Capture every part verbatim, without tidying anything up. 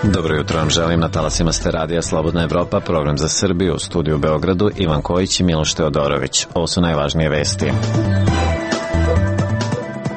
Dobro jutro vam želim, na talasima ste radija Slobodna Evropa, program za Srbiju, u studiju u Beogradu, Ivan Kojić i Miloš Teodorović. Ovo su najvažnije vesti.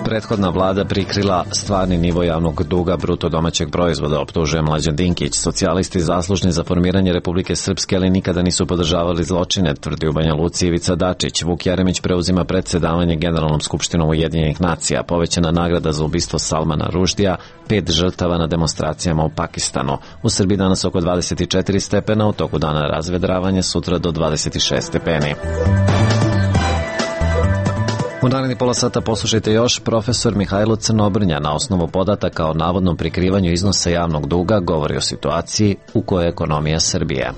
Prethodna vlada prikrila stvarni nivo javnog duga bruto domaćeg proizvoda, optužuje Mlađan Dinkić. Socijalisti zaslužni za formiranje Republike Srpske, ali nikada nisu podržavali zločine, tvrdi u Banja Luci Ivica Dačić. Vuk Jeremić preuzima predsedavanje Generalnom skupštinom Ujedinjenih nacija. Povećana nagrada za ubistvo Salmana Ruždija, pet žrtava na demonstracijama u Pakistanu. U Srbiji danas oko dvadeset četiri stepena, u toku dana razvedravanje, sutra do dvadeset šest stepeni. U naredni pola sata poslušajte još. Profesor Mihajlo Crnobrnja na osnovu podataka o navodnom prikrivanju iznosa javnog duga govori o situaciji u kojoj je ekonomija Srbije.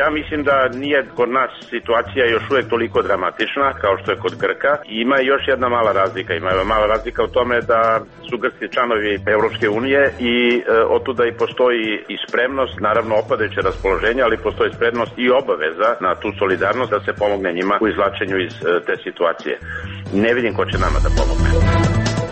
Ja mislim da nije kod nas situacija još uvijek toliko dramatična kao što je kod Grka. I ima još jedna mala razlika. Ima mala razlika u tome da su Grci članovi Evropske unije i e, otuda i postoji i spremnost, naravno opadajuće raspoloženje, ali postoji spremnost i obaveza na tu solidarnost da se pomogne njima u izvlačenju iz e, te situacije. Ne vidim ko će nama da pomogne.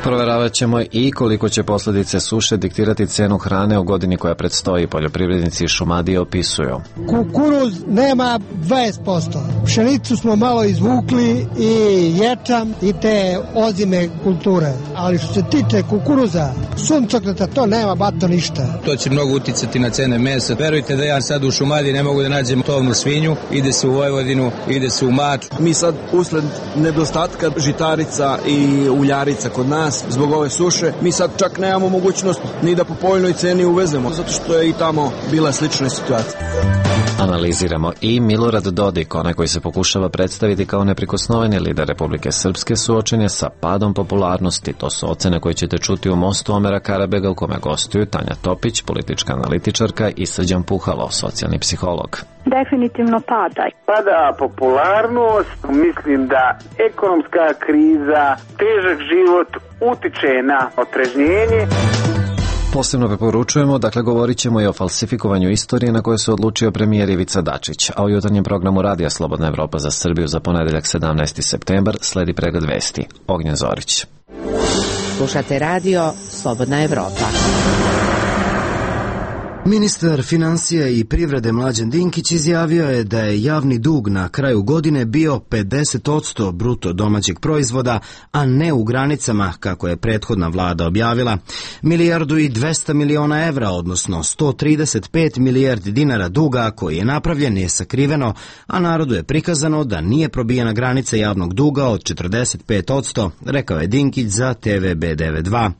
Proveravat ćemo i koliko će posljedice suše diktirati cenu hrane u godini koja predstoji. Poljoprivrednici iz Šumadije opisuju. Kukuruz nema dvadeset posto. Pšenicu smo malo izvukli i ječam i te ozime kulture. Ali što se tiče kukuruza, suncokreta, to nema bato ništa. To će mnogo uticati na cene mesa. Verujte da ja sad u Šumadiji ne mogu da nađem tovnu svinju. Ide se u Vojvodinu, ide se u Mač. Mi sad usled nedostatka žitarica i uljarica kod nas, zbog ove suše, mi sad čak nemamo mogućnost ni da po povoljnoj ceni uvezemo, zato što je i tamo bila slična situacija. Analiziramo i Milorad Dodik, onaj koji se pokušava predstaviti kao neprikosnoveni lider Republike Srpske, suočen je sa padom popularnosti. To su ocene koje ćete čuti u Mostu Omera Karabega, u kome gostuju Tanja Topić, politička analitičarka, i Srđan Puhalo, socijalni psiholog. Definitivno pada. Pada popularnost, mislim da ekonomska kriza, težak život utiče na otrežnjenje. Posebno preporučujemo, dakle govorit ćemo i o falsifikovanju istorije na koje se odlučio premijer Ivica Dačić, a u jutarnjem programu Radija Slobodna Evropa za Srbiju za ponedeljak sedamnaesti septembar sledi pregled vesti. Ognjen Zorić. Slušate radio Slobodna Evropa. Ministar financija i privrede Mlađan Dinkić izjavio je da je javni dug na kraju godine bio pedeset posto bruto domaćeg proizvoda, a ne u granicama kako je prethodna vlada objavila. Milijardu i dvesta miliona evra, odnosno sto trideset pet milijardi dinara duga koji je napravljen je sakriveno, a narodu je prikazano da nije probijena granica javnog duga od četrdeset pet posto, rekao je Dinkić za te ve be devedeset dva.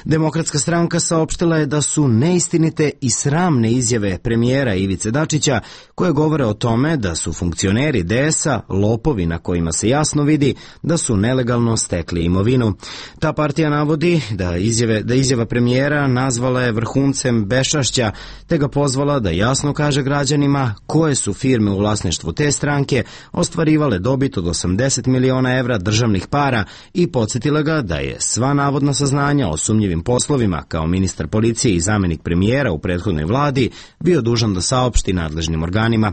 Demokratska stranka saopštila je da su neistinite i sramne izjave premijera Ivice Dačića koje govore o tome da su funkcioneri de es a lopovi na kojima se jasno vidi da su nelegalno stekli imovinu. Ta partija navodi da izjave, da izjava premijera nazvala je vrhuncem beščašća, te ga pozvala da jasno kaže građanima koje su firme u vlasništvu te stranke ostvarivale dobit od osamdeset miliona evra državnih para i podsjetila ga da je sva navodna saznanja o sumnjivim poslovima kao ministar policije i zamenik premijera u prethodnoj vladi bio dužan da saopšti nadležnim organima.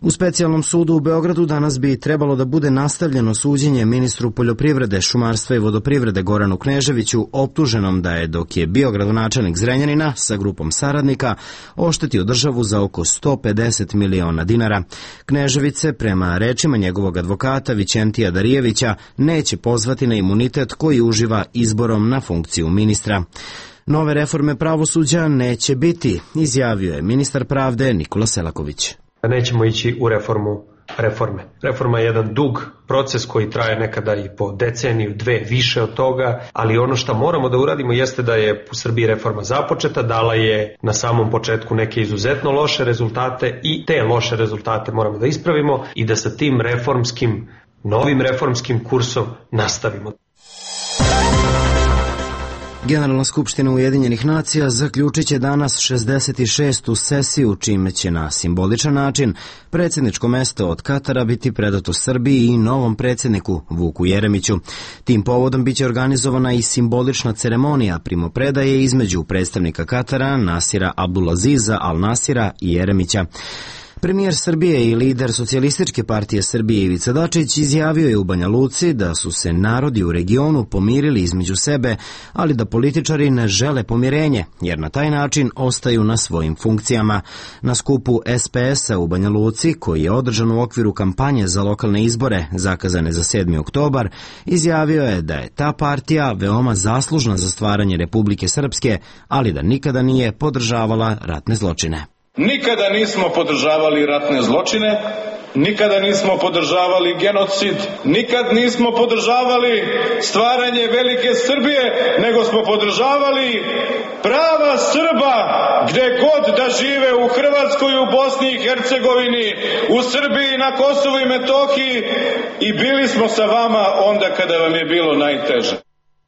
U specijalnom sudu u Beogradu danas bi trebalo da bude nastavljeno suđenje ministru poljoprivrede, šumarstva i vodoprivrede Goranu Kneževiću, optuženom da je, dok je bio gradonačelnik Zrenjanina sa grupom saradnika, oštetio državu za oko sto pedeset miliona dinara. Knežević se, prema rečima njegovog advokata Vićentija Darijevića, neće pozvati na imunitet koji uživa izborom na funkciju ministra. Nove reforme pravosuđa neće biti, izjavio je ministar pravde Nikola Selaković. Nećemo ići u reformu reforme. Reforma je jedan dug proces koji traje nekada i po deceniju, dve, više od toga, ali ono što moramo da uradimo jeste da je u Srbiji reforma započeta, dala je na samom početku neke izuzetno loše rezultate i te loše rezultate moramo da ispravimo i da sa tim reformskim, novim reformskim kursom nastavimo. Generalna skupština Ujedinjenih nacija zaključit će danas šezdeset šestu sesiju, čime će na simboličan način predsjedničko mesto od Katara biti predato Srbiji i novom predsjedniku Vuku Jeremiću. Tim povodom biće organizovana i simbolična ceremonija primopredaje između predstavnika Katara Nasira Abdulaziza Al Nasira i Jeremića. Premijer Srbije i lider Socijalističke partije Srbije Ivica Dačić izjavio je u Banja Luci da su se narodi u regionu pomirili između sebe, ali da političari ne žele pomirenje, jer na taj način ostaju na svojim funkcijama. Na skupu S P S-a u Banja Luci, koji je održan u okviru kampanje za lokalne izbore zakazane za sedmi oktobar, izjavio je da je ta partija veoma zaslužna za stvaranje Republike Srpske, ali da nikada nije podržavala ratne zločine. Nikada nismo podržavali ratne zločine, nikada nismo podržavali genocid, nikad nismo podržavali stvaranje velike Srbije, nego smo podržavali prava Srba gde god da žive, u Hrvatskoj, u Bosni i Hercegovini, u Srbiji, na Kosovu i Metohiji, i bili smo sa vama onda kada vam je bilo najteže.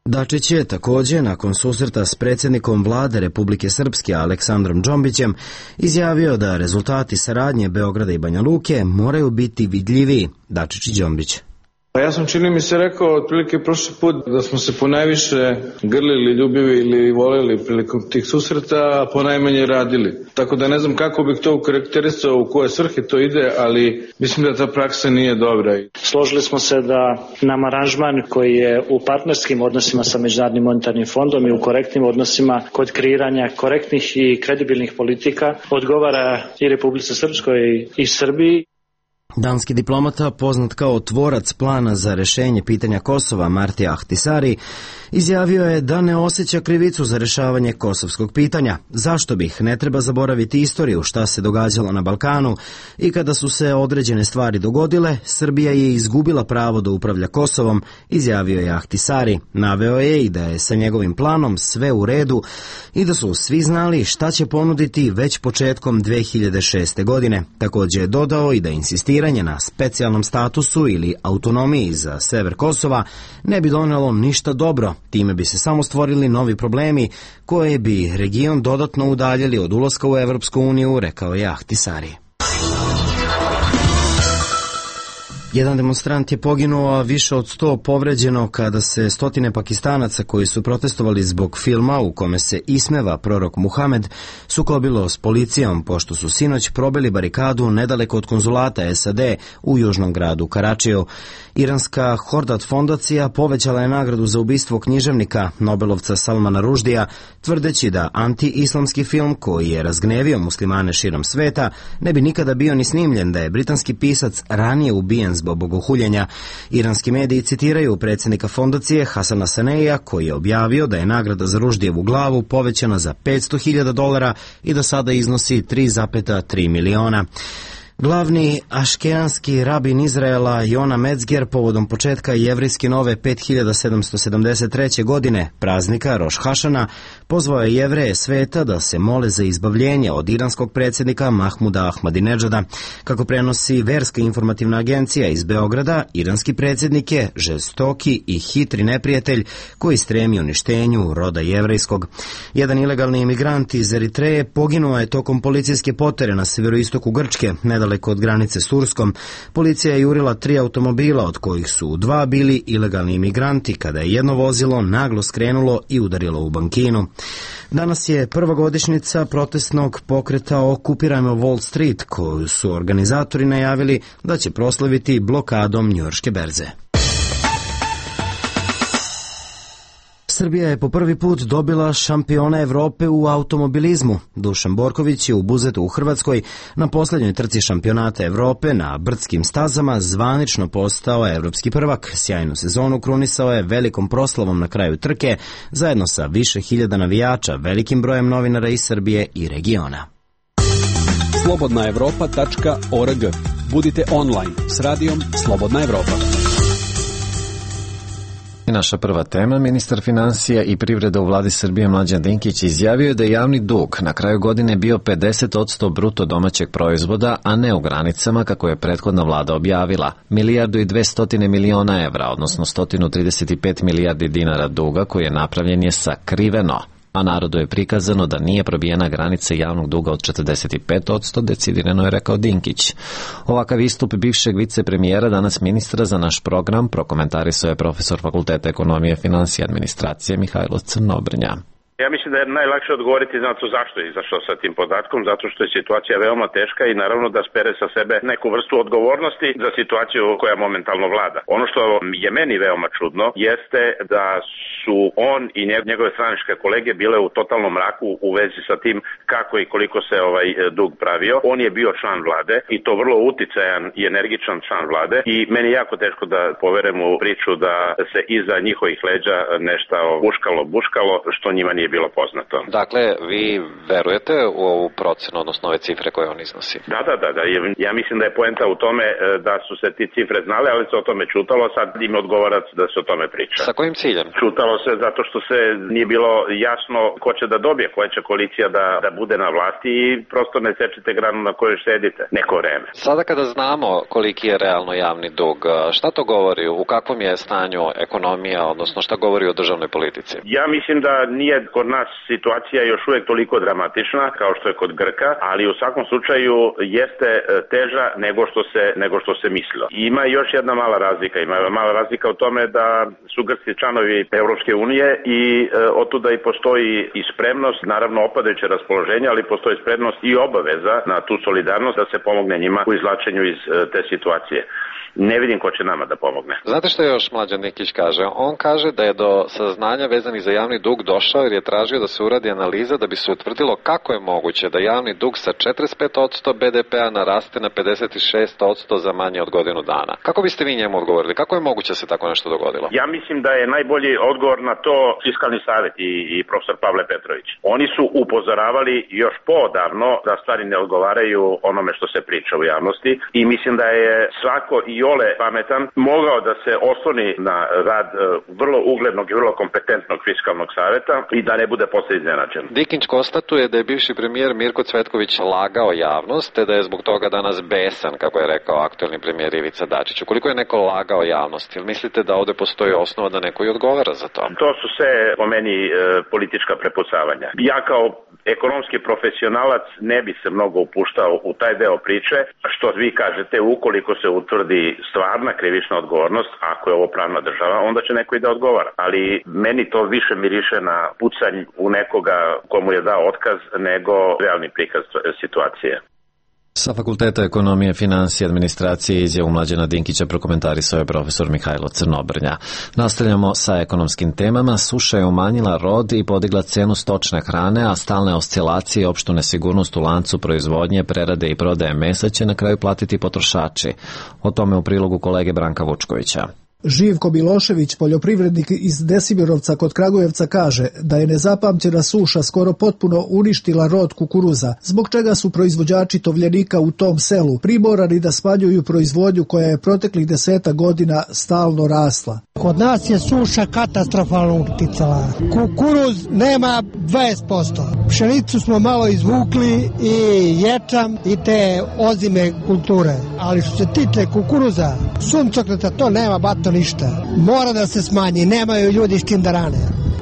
Dačić je također, nakon susreta s predsjednikom vlade Republike Srpske Aleksandrom Džombićem, izjavio da rezultati saradnje Beograda i Banja Luke moraju biti vidljiviji. Dačić i Džombić. Pa ja sam, čini mi se, rekao otprilike prošli put da smo se ponajviše grlili, ljubili ili voleli prilikom tih susreta, a ponajmanje radili. Tako da ne znam kako bih to ukarakterisao, u koje svrhe to ide, ali mislim da ta praksa nije dobra. Složili smo se da nam aranžman koji je u partnerskim odnosima sa Međunarodnim monetarnim fondom i u korektnim odnosima kod kreiranja korektnih i kredibilnih politika odgovara i Republici Srpskoj i Srbiji. Danski diplomata, poznat kao tvorac plana za rešenje pitanja Kosova, Marti Ahtisari, izjavio je da ne osjeća krivicu za rešavanje kosovskog pitanja. Zašto bih? Ne treba zaboraviti istoriju šta se događalo na Balkanu i kada su se određene stvari dogodile, Srbija je izgubila pravo da upravlja Kosovom, izjavio je Ahtisari. Naveo je i da je sa njegovim planom sve u redu i da su svi znali šta će ponuditi već početkom dve hiljade šeste. godine. Također je dodao i da insistiranje na specijalnom statusu ili autonomiji za sever Kosova ne bi donelo ništa dobro. Time bi se samo stvorili novi problemi koje bi region dodatno udaljili od ulaska u Evropsku uniju, rekao je Ahtisari. Jedan demonstrant je poginuo, a više od sto povređeno kada se stotine Pakistanaca koji su protestovali zbog filma u kome se ismeva prorok Muhamed sukobilo s policijom pošto su sinoć probili barikadu nedaleko od konzulata S A D u južnom gradu Karačiju. Iranska Hordat fondacija povećala je nagradu za ubistvo književnika Nobelovca Salmana Ruždija, tvrdeći da anti-islamski film koji je razgnevio muslimane širom sveta ne bi nikada bio ni snimljen da je britanski pisac ranije ubijen zbog bogohuljenja. Iranski mediji citiraju predsjednika fondacije Hasana Saneija koji je objavio da je nagrada za Ruždijevu glavu povećana za petsto hiljada dolara i da sada iznosi tri zarez tri miliona. Glavni aškenski rabin Izraela Jona Metzger povodom početka jevrijske nove pet hiljada sedamsto sedamdeset treće. godine, praznika Roš Hašana, pozvao je Jevreje sveta da se mole za izbavljenje od iranskog predsjednika Mahmuda Ahmadinedžada. Kako prenosi verska informativna agencija iz Beograda, iranski predsjednik je žestoki i hitri neprijatelj koji stremi uništenju roda jevrejskog. Jedan ilegalni imigrant iz Eritreje poginuo je tokom policijske potere na severoistoku Grčke, nedaleko od granice s Turskom. Policija je jurila tri automobila, od kojih su dva bili ilegalni imigranti, kada je jedno vozilo naglo skrenulo i udarilo u bankinu. Danas je prva godišnjica protestnog pokreta Okupirajmo Wall Street, koju su organizatori najavili da će proslaviti blokadom njujorške berze. Srbija je po prvi put dobila šampiona Evrope u automobilizmu. Dušan Borković je u Buzetu u Hrvatskoj na posljednjoj trci šampionata Evrope na brdskim stazama zvanično postao evropski prvak. Sjajnu sezonu krunisao je velikom proslavom na kraju trke zajedno sa više hiljada navijača, velikim brojem novinara iz Srbije i regiona. slobodna evropa tačka org. Budite online s radijom Slobodna Evropa. Naša prva tema, ministar finansija i privrede u vladi Srbije Mlađan Dinkić izjavio je da je javni dug na kraju godine bio pedeset posto bruto domaćeg proizvoda, a ne u granicama kako je prethodna vlada objavila. Milijardu i dvestotine miliona evra, odnosno sto trideset pet milijardi dinara duga koji je napravljen je sakriveno, a narodu je prikazano da nije probijena granica javnog duga od četrdeset pet posto, decidirano je rekao Dinkić. Ovakav istup bivšeg vicepremijera, danas ministra za naš program, prokomentarisao je profesor Fakulteta ekonomije, finansije i administracije Mihajlo Crnobrnja. Ja mislim da je najlakše odgovoriti na to zašto je izašao sa tim podatkom, zato što je situacija veoma teška i naravno da spere sa sebe neku vrstu odgovornosti za situaciju koja momentalno vlada. Ono što je meni veoma čudno jeste da su on i njegove stranačke kolege bile u totalnom mraku u vezi sa tim kako i koliko se ovaj dug pravio. On je bio član vlade i to vrlo uticajan i energičan član vlade i meni je jako teško da poverem u priču da se iza njihovih leđa nešto buškalo, buškalo, što njima nije bilo poznato. Dakle, vi verujete u ovu procenu, odnosno ove cifre koje on iznosi? Da, da, da, da. Ja mislim da je poenta u tome da su se ti cifre znale, ali se o tome čutalo, sad im odgovara da se o tome priča. Sa kojim ciljem? Čutalo se zato što se nije bilo jasno ko će da dobije, koja će koalicija da, da bude na vlasti i prosto ne sečete granu na kojoj sedite neko vreme. Sada kada znamo koliki je realno javni dug, šta to govori? U kakvom je stanju ekonomija, odnosno šta govori o državnoj politici? Ja mislim da nije kod nas situacija još uvek toliko dramatična kao što je kod Grka, ali u svakom slučaju jeste teža nego što se, nego što se mislilo. Ima još jedna mala razlika, ima mala razlika u tome da su Grci članovi Evropske unije i e, otuda i postoji i spremnost, naravno opadajuće raspoloženje, ali postoji spremnost i obaveza na tu solidarnost da se pomogne njima u izvlačenju iz e, te situacije. Ne vidim ko će nama da pomogne. Znate što još Mlađan Dinkić kaže? On kaže da je do saznanja vezanih za javni dug došao jer je tražio da se uradi analiza da bi se utvrdilo kako je moguće da javni dug sa četrdeset pet posto be de pea naraste na pedeset šest posto za manje od godinu dana. Kako biste vi njemu odgovorili? Kako je moguće da se tako nešto dogodilo? Ja mislim da je najbolji odgovor na to Fiskalni savet i, i profesor Pavle Petrović. Oni su upozoravali još poodavno da stvari ne odgovaraju onome što se priča u javnosti i mislim da je svako i ole pametan mogao da se osloni na rad vrlo uglednog i vrlo kompetentnog Fiskalnog saveta i da ne bude posle iznenađen. Dinkić konstatuje da je bivši premijer Mirko Cvetković lagao javnost, te da je zbog toga danas besan, kako je rekao aktuelni premijer Ivica Dačić. Koliko je neko lagao javnost? Ili mislite da ovde postoji osnova da neko i odgovara za to? To su sve po meni e, politička prepucavanja. Ja kao ekonomski profesionalac ne bi se mnogo upuštao u taj deo priče, što vi kažete, ukoliko se utvrdi stvarna krivična odgovornost, ako je ovo pravna država, onda će neko i da odgovara. Ali meni to više miriše na pucanj u nekoga komu je dao otkaz nego realni prikaz situacije. Sa Fakulteta ekonomije, financije i administracije izjavu Mlađana Dinkića prokomentarisao je profesor Mihajlo Crnobrnja. Nastavljamo sa ekonomskim temama. Suša je umanjila rod i podigla cenu stočne hrane, a stalne oscilacije i opštu nesigurnost u lancu proizvodnje, prerade i prodaje mesa će na kraju platiti potrošači. O tome u prilogu kolege Branka Vučkovića. Živko Milošević, poljoprivrednik iz Desimirovca kod Kragujevca, kaže da je nezapamćena suša skoro potpuno uništila rod kukuruza, zbog čega su proizvođači tovljenika u tom selu primorani da smanjuju proizvodnju koja je proteklih deseta godina stalno rasla. Kod nas je suša katastrofalno uticala. Kukuruz nema dvadeset posto. Pšenicu smo malo izvukli i ječam i te ozime kulture. Ali što se tiče kukuruza, suncokreta, to nema bato ništa. Mora da se smanji, nemaju ljudi s tim da rane.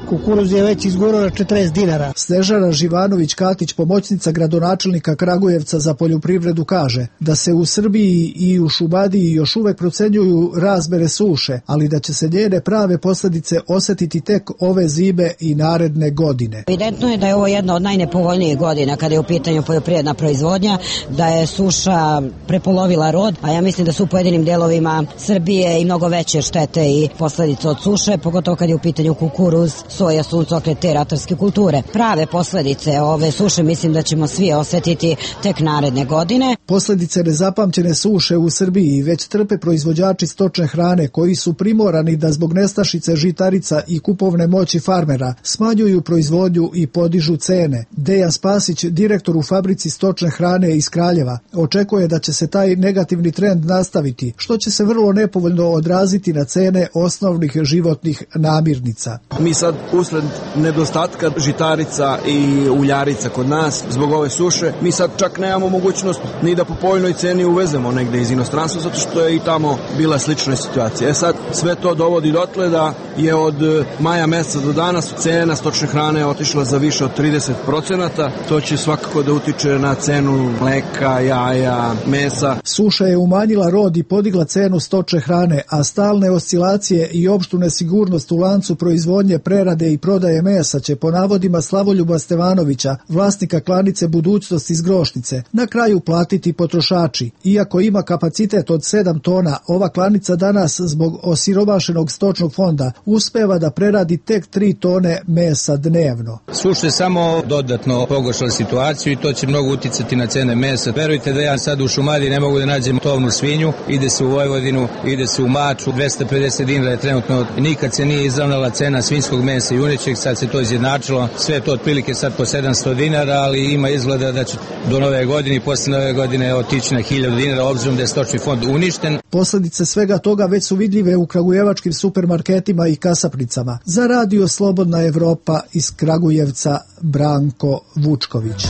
Kukuruz je već izgurao na četrdeset dinara. Snežana Živanović-Katić, pomoćnica gradonačelnika Kragujevca za poljoprivredu, kaže da se u Srbiji i u Šumadiji još uvek procenjuju razmere suše, ali da će se njene prave posljedice osetiti tek ove zime i naredne godine. Evidentno je da je ovo jedna od najnepovoljnijih godina kada je u pitanju poljoprivredna proizvodnja, da je suša prepolovila rod, a ja mislim da su u pojedinim delovima Srbije i mnogo veće štete i posljedice od suše, pogotovo kad je u pitanju kukuruz, soja, suncokret, te ratarske kulture. Prave posljedice ove suše mislim da ćemo svi osetiti tek naredne godine. Posljedice nezapamćene suše u Srbiji već trpe proizvođači stočne hrane koji su primorani da zbog nestašice žitarica i kupovne moći farmera smanjuju proizvodnju i podižu cene. Dejan Spasić, direktor u fabrici stočne hrane iz Kraljeva, očekuje da će se taj negativni trend nastaviti, što će se vrlo nepovoljno odraziti na cene osnovnih životnih namirnica. Mi sad usled nedostatka žitarica i uljarica kod nas zbog ove suše, mi sad čak nemamo mogućnost ni da po povoljnoj ceni uvezemo negde iz inostranstva, zato što je i tamo bila slična situacija. E sad sve to dovodi dotle da je od maja meseca do danas cena stočne hrane otišla za više od trideset procenata. To će svakako da utiče na cenu mleka, jaja, mesa. Suša je umanjila rod i podigla cenu stočne hrane, a stalne oscilacije i opštu nesigurnost u lancu proizvodnje, prerade prerade i prodaje mesa će po navodima Slavoljuba Stevanovića, vlasnika klanice Budućnost iz Grošnice, na kraju platiti potrošači. Iako ima kapacitet od sedam tona, ova klanica danas zbog osiromašenog stočnog fonda uspeva da preradi tek tri tone mesa dnevno. Suše samo dodatno pogoršali situaciju i to će mnogo uticati na cene mesa. Verujte da ja sad u Šumadiji ne mogu da nađem tovnu svinju, ide se u Vojvodinu, ide se u Maču, dvesta pedeset dinara je trenutno, nikad se nije izravnala cena svinjskog mesa i junećeg, sad se to izjednačilo, sve je to otprilike sad po sedamsto dinara, ali ima izgleda da će do nove godine i posle nove godine otići na hiljadu dinara, obzirom da je stočni fond uništen. Posledice svega toga već su vidljive u kragujevačkim supermarketima i kasapnicama. Za Radio Slobodna Evropa iz Kragujevca, Branko Vučković.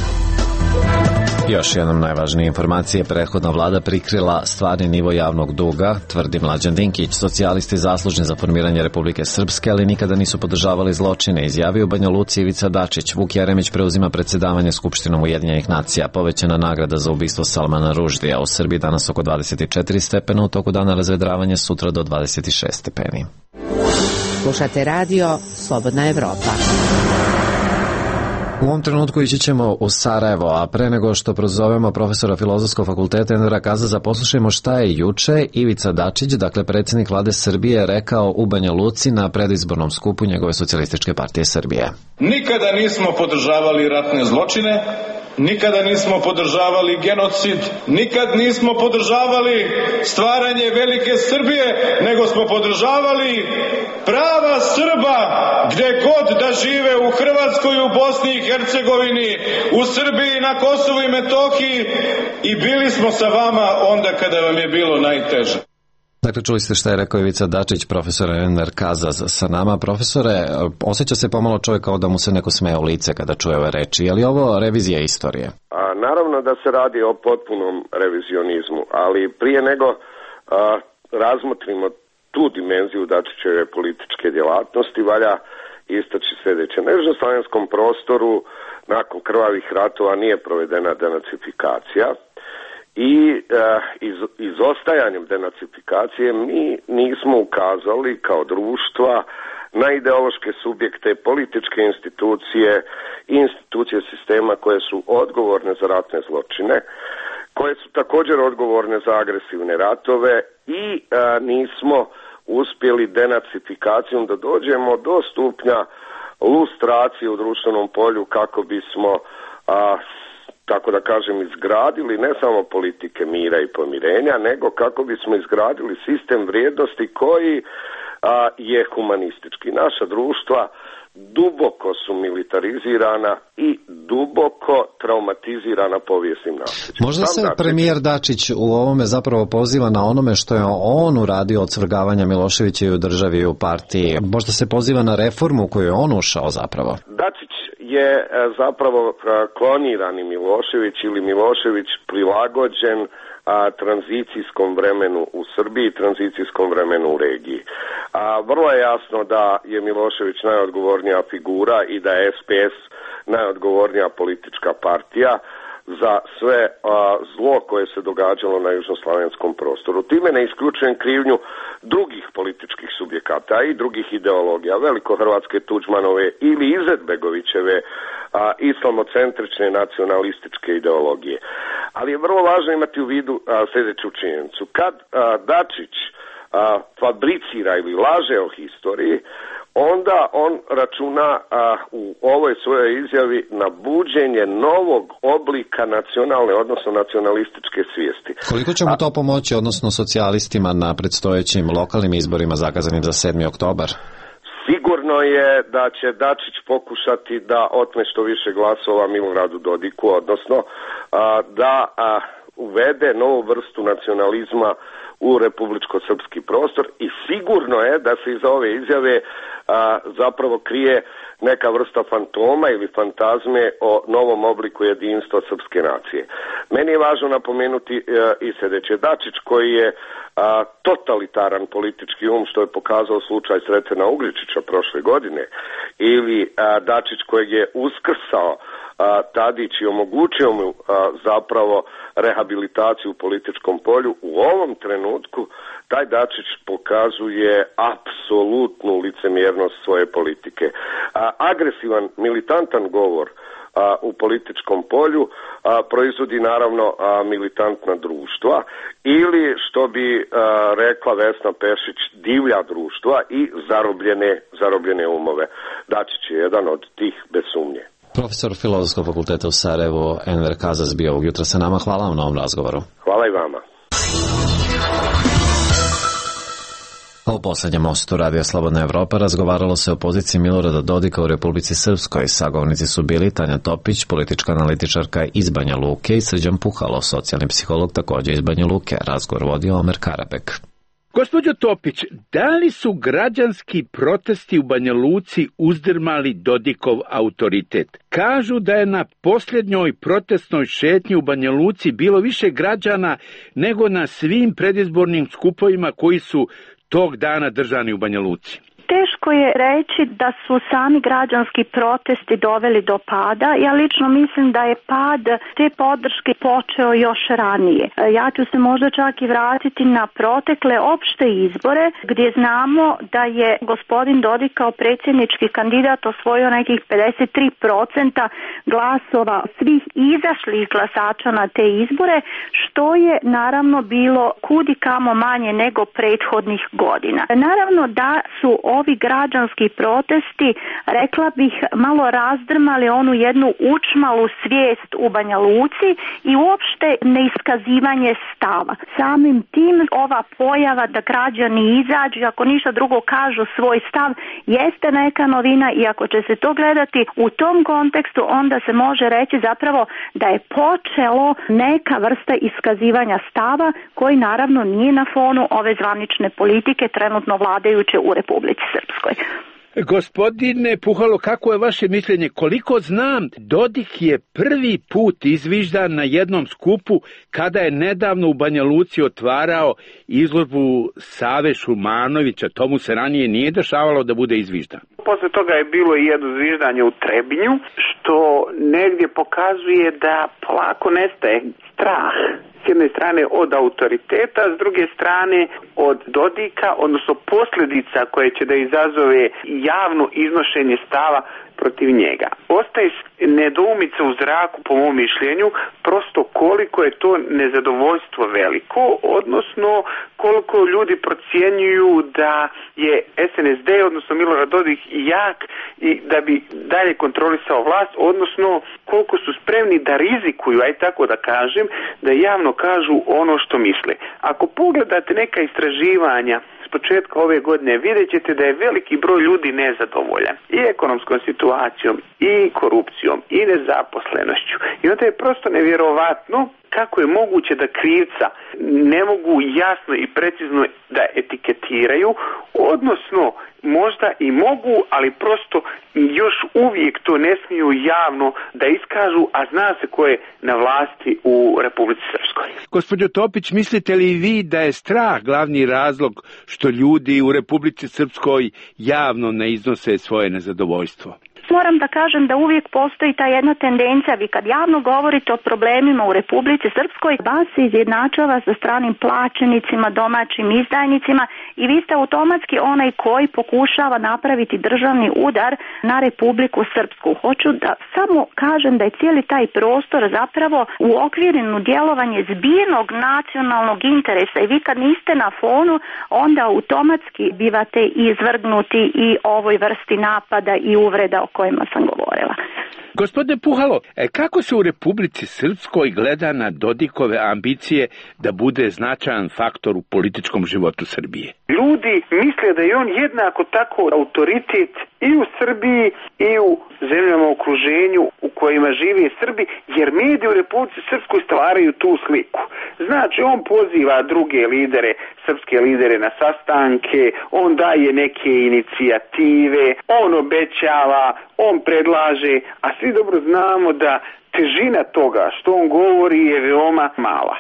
Još jednom najvažnije informacije, prethodna vlada prikrila stvarni nivo javnog duga, tvrdi Mlađan Dinkić. Socijalisti zaslužni za formiranje Republike Srpske, ali nikada nisu podržavali zločine, izjavio u Banja Luci Ivica Dačić. Vuk Jeremić preuzima predsedavanje Skupštinom Ujedinjenih nacija. Povećana nagrada za ubistvo Salmana Ruždija. U Srbiji danas oko dvadeset četiri stepena, u toku dana razvedravanje, sutra do dvadeset šest stepeni. Slušate radio Slobodna Evropa. U ovom trenutku ići ćemo u Sarajevo, a pre nego što prozovemo profesora Filozofskog fakulteta Envera Kazaza, poslušajmo šta je juče Ivica Dačić, dakle predsjednik vlade Srbije, rekao u Banja Luci na predizbornom skupu njegove Socijalističke partije Srbije. Nikada nismo podržavali ratne zločine, nikada nismo podržavali genocid, nikad nismo podržavali stvaranje velike Srbije, nego smo podržavali prava Srba gde god da žive, u Hrvatskoj, u Bosni i Hercegovini, u Srbiji, na Kosovu i Metohiji, i bili smo sa vama onda kada vam je bilo najteže. Dakle, čuli ste šta je rekao Ivica Dačić, profesor Enver Kazaz sa nama. Profesore, osjeća se pomalo čovjek kao da mu se neko smeje u lice kada čuje ove reči, je li ovo revizija istorije? A, naravno da se radi o potpunom revizionizmu, ali prije nego a, razmotrimo tu dimenziju Dačićeve političke djelatnosti, valja istaći sljedeće. Na južnoslavenskom prostoru nakon krvavih ratova nije provedena denacifikacija, i e, iz, izostajanjem denacifikacije mi nismo ukazali kao društva na ideološke subjekte, političke institucije i institucije sistema koje su odgovorne za ratne zločine, koje su također odgovorne za agresivne ratove, i e, nismo uspjeli denacifikacijom da dođemo do stupnja lustracije u društvenom polju kako bismo a, tako da kažem, izgradili ne samo politike mira i pomirenja, nego kako bismo izgradili sistem vrijednosti koji a, je humanistički. Naša društva duboko su militarizirana i duboko traumatizirana povijesnim nasljeđem. Možda se premijer Dačić u ovome zapravo poziva na onome što je on uradio od svrgavanja Miloševića i u državi i u partiji. Možda se poziva na reformu koju je on ušao zapravo. Dačić je zapravo klonirani Milošević ili Milošević prilagođen a, tranzicijskom vremenu u Srbiji, tranzicijskom vremenu u regiji. A, vrlo je jasno da je Milošević najodgovornija figura i da je S P S najodgovornija politička partija za sve a, zlo koje se događalo na južnoslavenskom prostoru. Time ne isključujem krivnju drugih političkih subjekata i drugih ideologija, velikohrvatske Tuđmanove ili Izetbegovićeve a, islamocentrične nacionalističke ideologije. Ali je vrlo važno imati u vidu a, sljedeću činjenicu. Kad a, Dačić a, fabricira ili laže o historiji, onda on računa a, u ovoj svojoj izjavi na buđenje novog oblika nacionalne, odnosno nacionalističke svijesti. Koliko će mu to pomoći, odnosno socijalistima, na predstojećim lokalnim izborima zakazanim za sedmi oktobar? Sigurno je da će Dačić pokušati da otme što više glasova Miloradu Dodiku, odnosno a, da a, uvede novu vrstu nacionalizma u republičko-srpski prostor, i sigurno je da se iza ove izjave a, zapravo krije neka vrsta fantoma ili fantazme o novom obliku jedinstva srpske nacije. Meni je važno napomenuti a, i sljedeće. Dačić, koji je a, totalitaran politički um, što je pokazao slučaj Sretena Ugričića prošle godine, ili a, Dačić kojeg je uskrsao a, Tadić i omogućio mu a, zapravo rehabilitaciju u političkom polju, u ovom trenutku taj Dačić pokazuje apsolutnu licemjernost svoje politike. A, agresivan, militantan govor a, u političkom polju a, proizvodi naravno a, militantna društva ili, što bi a, rekla Vesna Pešić, divlja društva i zarobljene, zarobljene umove. Dačić je jedan od tih, bez sumnje. Profesor Filozofskog fakulteta u Sarajevu, Enver Kazas, bio ovog jutra sa nama. Hvala vam na ovom razgovoru. Hvala i vama. U poslednjem mostu Radija Slobodna Evropa razgovaralo se o poziciji Milorada Dodika u Republici Srpskoj. Sagovornici su bili Tanja Topić, politička analitičarka iz Banja Luke, i Srđan Puhalo, socijalni psiholog takođe iz Banja Luke. Razgovor vodio Omer Karabek. Gospođo Topić, da li su građanski protesti u Banja Luci uzdrmali Dodikov autoritet? Kažu da je na posljednjoj protestnoj šetnji u Banja Luci bilo više građana nego na svim predizbornim skupovima koji su tog dana držani u Banja Luci. Teško je reći da su sami građanski protesti doveli do pada. Ja lično mislim da je pad te podrške počeo još ranije. Ja ću se možda čak i vratiti na protekle opšte izbore, gdje znamo da je gospodin Dodik kao predsjednički kandidat osvojio nekih pedeset tri posto glasova svih izašlih glasača na te izbore, što je naravno bilo kudi kamo manje nego prethodnih godina. Naravno da su ovi građanski protesti, rekla bih, malo razdrmali onu jednu učmalu svijest u Banja Luci i uopšte neiskazivanje stava. Samim tim ova pojava da građani izađu, ako ništa drugo kažu svoj stav, jeste neka novina, i ako će se to gledati u tom kontekstu, onda se može reći zapravo da je počelo neka vrsta iskazivanja stava, koji naravno nije na fonu ove zvanične politike trenutno vladajuće u Republici Srpskoj. Gospodine Puhalo, kako je vaše mišljenje? Koliko znam, Dodik je prvi put izviždan na jednom skupu kada je nedavno u Banja Luci otvarao izložbu Save Šumanovića. To mu se ranije nije dešavalo da bude izviždan. Posle toga je bilo i jedno zviždanje u Trebinju, što negdje pokazuje da polako nestaje strah. S jedne strane od autoriteta, s druge strane od Dodika, odnosno posljedica koje će da izazove javno iznošenje stava protiv njega. Ostaje nedoumica u zraku, po mom mišljenju, prosto koliko je to nezadovoljstvo veliko, odnosno koliko ljudi procjenjuju da je S N S D, odnosno Milorad Dodik, jak i da bi dalje kontrolisao vlast, odnosno koliko su spremni da rizikuju, aj tako da kažem, da javno kažu ono što misle. Ako pogledate neka istraživanja s početka ove godine, vidjet ćete da je veliki broj ljudi nezadovoljan i ekonomskom situacijom, i korupcijom, i nezaposlenošću. I onda je prosto nevjerovatno kako je moguće da krivca ne mogu jasno i precizno da etiketiraju, odnosno možda i mogu, ali prosto još uvijek to ne smiju javno da iskažu, a zna se ko je na vlasti u Republici Srpskoj. Gospođo Topić, mislite li vi da je strah glavni razlog što ljudi u Republici Srpskoj javno ne iznose svoje nezadovoljstvo? Moram da kažem da uvijek postoji ta jedna tendencija, vi kad javno govorite o problemima u Republici Srpskoj, vas se izjednačava sa stranim plaćenicima, domaćim izdajnicima, i vi ste automatski onaj koji pokušava napraviti državni udar na Republiku Srpsku. Hoću da samo kažem da je cijeli taj prostor zapravo u okvirinu djelovanje zbirnog nacionalnog interesa, i vi kad niste na fonu, onda automatski bivate izvrgnuti i ovoj vrsti napada i uvreda o kojima sam govorila. Gospodine Puhalo, kako se u Republici Srpskoj gleda na Dodikove ambicije da bude značajan faktor u političkom životu Srbije? Ljudi misle da je on jednako tako autoritet i u Srbiji i u zemljama u okruženju u kojima žive Srbi, jer mediji u Republici Srpskoj stvaraju tu sliku. Znači, on poziva druge lidere, srpske lidere na sastanke, on daje neke inicijative, on obećava, on predlaže, a svi dobro znamo da težina toga što on govori je veoma mala.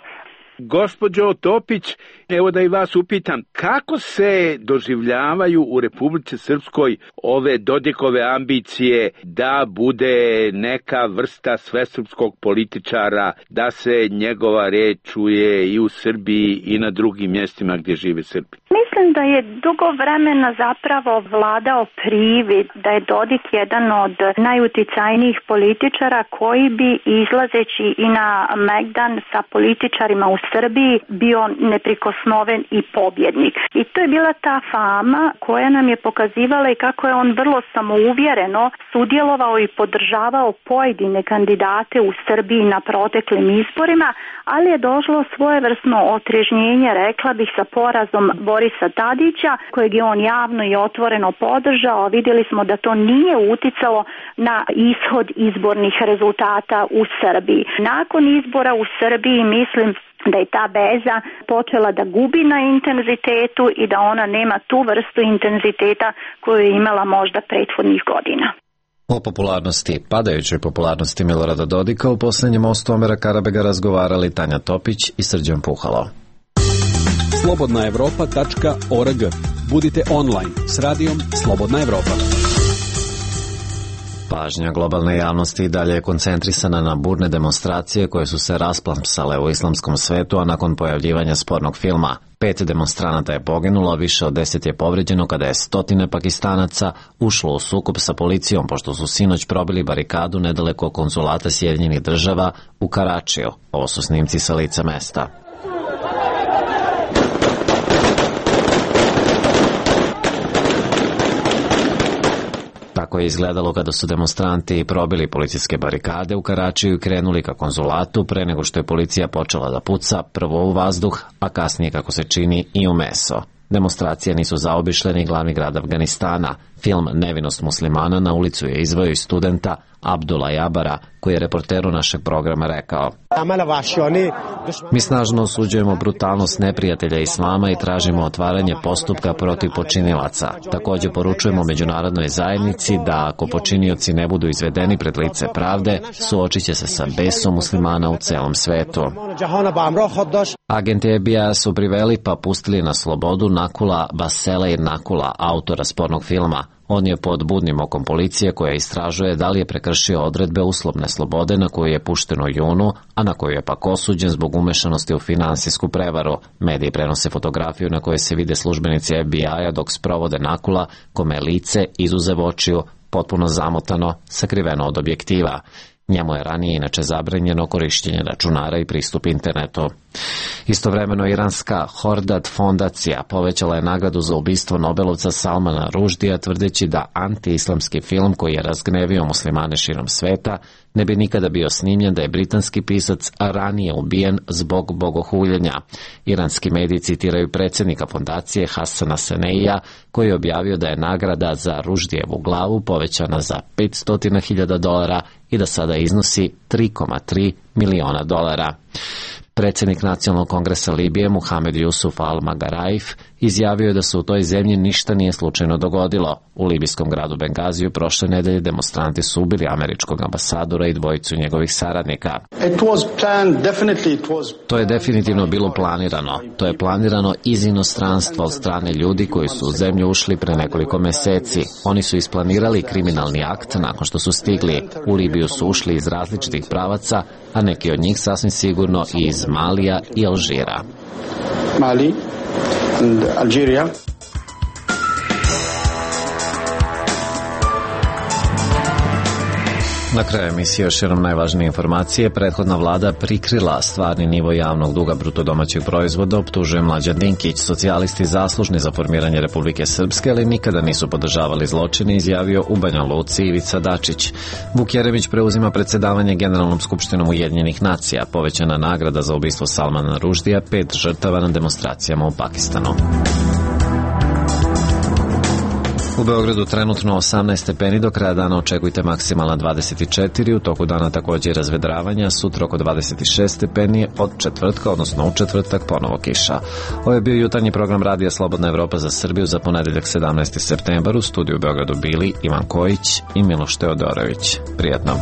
Gospođo Topić, evo da i vas upitam, kako se doživljavaju u Republici Srpskoj ove Dodikove ambicije da bude neka vrsta svesrpskog političara, da se njegova reč čuje i u Srbiji i na drugim mjestima gdje žive Srbi? Mislim da je dugo vremena zapravo vladao privid da je Dodik jedan od najuticajnijih političara koji bi izlazeći i na Megdan sa političarima u Srbiji bio neprikosnoven i pobjednik. I to je bila ta fama koja nam je pokazivala i kako je on vrlo samouvjereno sudjelovao i podržavao pojedine kandidate u Srbiji na proteklim izborima, ali je došlo svojevrsno otrežnjenje, rekla bih, sa porazom Borisa Tadića, kojeg je on javno i otvoreno podržao. Vidjeli smo da to nije uticalo na ishod izbornih rezultata u Srbiji. Nakon izbora u Srbiji mislim da je ta veza počela da gubi na intenzitetu i da ona nema tu vrstu intenziteta koju je imala možda prethodnih godina. O popularnosti, padajućoj popularnosti Milorada Dodika u posljednjem mostu Omera Karabega razgovarali Tanja Topić i Srđan Puhalo. slobodna evropa tačka org. Budite online s radijom Slobodna Evropa. Pažnja globalne javnosti i dalje je koncentrisana na burne demonstracije koje su se rasplamsale u islamskom svetu, a nakon pojavljivanja spornog filma. Pet demonstranata je poginulo, više od deset je povređeno kada je stotine Pakistanaca ušlo u sukob sa policijom pošto su sinoć probili barikadu nedaleko konzulata Sjedinjenih Država u Karačiju. Ovo su snimci sa lica mesta. Tako je izgledalo kada su demonstranti probili policijske barikade u Karačiju i krenuli ka konzulatu pre nego što je policija počela da puca prvo u vazduh, a kasnije, kako se čini, i u meso. Demonstracije nisu zaobišle ni glavni grad Afganistana. Film Nevinost muslimana na ulicu je izveo i studenta Abdula Jabara, koji je reporteru našeg programa rekao: Mi snažno osuđujemo brutalnost neprijatelja islama i tražimo otvaranje postupka protiv počinilaca. Također poručujemo međunarodnoj zajednici da ako počinioci ne budu izvedeni pred lice pravde, suočit će se sa besom muslimana u celom svetu. Agenti F B I su priveli pa pustili na slobodu Nakula Baseleir Nakula, autora spornog filma. On je pod budnim okom policije koja istražuje da li je prekršio odredbe uslovne slobode na koju je pušten u junu, a na koju je pak osuđen zbog umešanosti u finansijsku prevaru. Mediji prenose fotografiju na kojoj se vide službenici F B I-a dok sprovode Nakula, kome je lice izuzev očiju potpuno zamotano, sakriveno od objektiva. Njemu je ranije inače zabranjeno korištenje računara i pristup internetu. Istovremeno iranska Hordad fondacija povećala je nagradu za ubistvo Nobelovca Salmana Ruždija, tvrdeći da anti-islamski film koji je razgnevio muslimane širom sveta ne bi nikada bio snimljen da je britanski pisac ranije ubijen zbog bogohuljenja. Iranski mediji citiraju predsjednika fondacije Hasana Seneija, koji je objavio da je nagrada za Ruždijevu glavu povećana za petsto hiljada dolara i da sada iznosi tri zarez tri miliona dolara. Predsjednik Nacionalnog kongresa Libije Muhamed Jusuf al-Magaraif izjavio je da se u toj zemlji ništa nije slučajno dogodilo. U libijskom gradu Bengaziju prošle nedelje demonstranti su ubili američkog ambasadora i dvojicu njegovih saradnika. To je definitivno bilo planirano. To je planirano iz inostranstva od strane ljudi koji su u zemlju ušli pre nekoliko meseci. Oni su isplanirali kriminalni akt nakon što su stigli. U Libiju su ušli iz različitih pravaca, a neki od njih sasvim sigurno i iz Malija i Alžira. Mali and Algeria. Na kraju emisije još jednom najvažnije informacije. Prethodna vlada prikrila stvarni nivo javnog duga bruto domaćeg proizvoda, optužuje Mlađan Dinkić. Socijalisti zaslužni za formiranje Republike Srpske, ali nikada nisu podržavali zločine, izjavio u Banja Luci Ivica Dačić. Vuk Jeremić preuzima predsjedavanje Generalnom skupštinom Ujedinjenih nacija. Povećana nagrada za ubistvo Salmana Ruždija, pet žrtava na demonstracijama u Pakistanu. U Beogradu trenutno osamnaest stepeni, do kraja dana očekujte maksimalna dvadeset četiri, u toku dana također razvedravanja, sutra oko dvadeset šest stepeni, od četvrtka, odnosno u četvrtak, ponovo kiša. Ovo je bio jutarnji program Radija Slobodna Evropa za Srbiju za ponedeljak sedamnaesti septembar. U studiju u Beogradu bili Ivan Kojić i Miloš Teodorović. Prijatno.